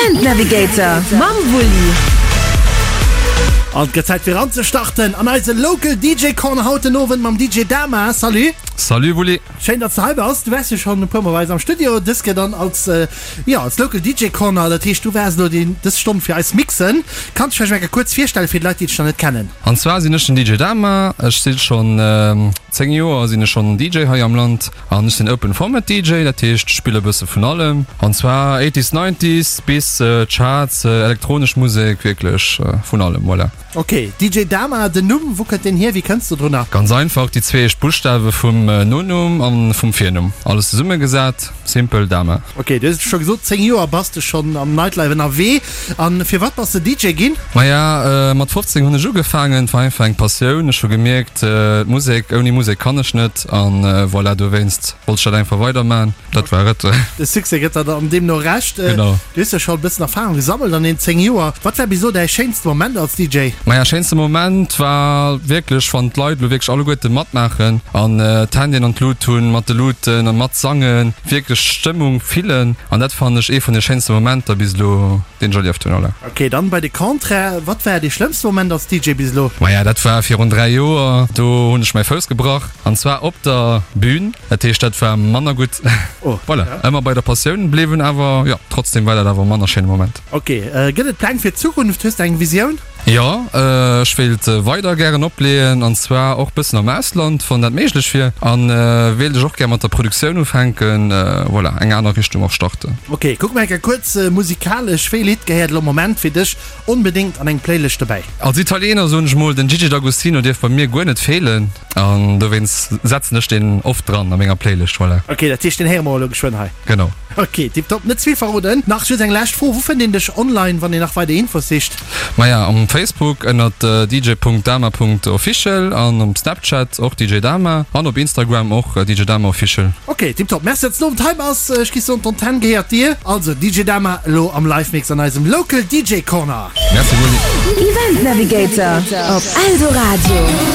Event Navigator mam Wulli. An et gëtt Zäit fir eranzestarten an eise Local DJ Corner haut den Owend mam DJ Dama. Salut! Salut Wulli! Schéin datts de hei bass. Du waars jo schonn e puer mol bei eis am Studio, dës Kéier dann als, jo, als Local DJ Corner. Dat heescht du waars elo deen dës Stonn fir eis mixen. Kanns dech vläicht eng Kéier kuerz virstellen fir déi Leit déi dech nach net kennen? An zwar sinn ech den DJ Dama. Ech si schonn 10 Joer sinn ech schonn DJ hei am Land. An ech sinn Open Format DJ, dat heescht ech spille bësse vun allem, an zwar Eighties, Nineties bis Charts, elektronesch Musek, wierklech vun allem, voilà. Ok, DJ Dama, den Numm, wou kënnt deen hier, wéi kënns de drunner? Ganz einfach, déi zwee éischt Buschtawe vum Nonumm a vum Virnumm, alles zesummegesat, simpel, Dama. Ok, du hues et scho gesot, 10 Joer bass de schonn am Nightlife ënnerwee. A firwat bass de DJ ginn? Maja, mat 15 hunn ech ugefaangen, et war einfach eng Passioun, ech hu gemierkt, d'Musek, ouni Musek kann ech net. An voilà, dowéinst wollt ech dat einfach weiderman. Dat war et. De Succès gëtt der dann deemno Recht. Genau. Du hues jo scho e bëssen Erfarung gesammelt an den 10 Joer. Wat war bis elo däi schéinste Moment als DJ? Maja, schéinste Moment war wierklech, wann d'Leit elo wierklech alleguerte matmaachen an d'Handyen an d'Lut hunn, mat de Luten a matsangen, wierklech d'Stëmmung fillen. An dat fannen ech ee vun de schéinste Momenter bis elo, deen ech erlieft hunn. Voilà. Ok, dann bei de Contraire, wat war dee schlëmmste Moment als DJ bis elo? Maja, dat war virun 3 Joer, do hunn ech mäi Fouss gebrach, an zwar op der Bühn, dat heescht dat war manner gutt. Oh, Voilà, ja. ëmmer bei der Passioun bliwwen, awer jo, trotzdem war dat awer e manner schéine Moment. Ok, gëtt et Pläng fir d'Zukunft? Hues de eng Visioun? Jo, ech wéilt weider gären opleeën, an zwar och bëssen am Ausland, wann dat méiglech wier, an wéilt ech och gär mat der Produktioun ufänken, voilà, eng aner Richtung och starten. Ok, kucke mer eng Kéier kuerz musikalesch, wéi Lidd gehéiert elo am Moment fir dech onbedéngt an eng Playlëscht dobäi? Als Italiener soen ech mol, den Gigi D'Agostino dierf bei mir guer net feelen, an dowéinst setzen ech deen oft dran a menger Playlëscht, voilà. Ok, dat heescht deen héiere mer elo geschwënn hei. Genau. Ok, tiptop, net ze vill verroden. Nach just eng lescht Fro, Wou fënnt een dech online, wann een nach weider Infos sicht? Maja, um Facebook ënnert dj.dama.official an um Snapchat och djdama an op Instagram och djdamaofficial. Ok, tiptop, merci datts den Owend hei bass. Ech gi soen, d'Antenn gehéiert dir. Also DJ Dama elo am Live-Mix an eisem Local DJ Corner. Merci Moni. Event Navigator op Eldoradio.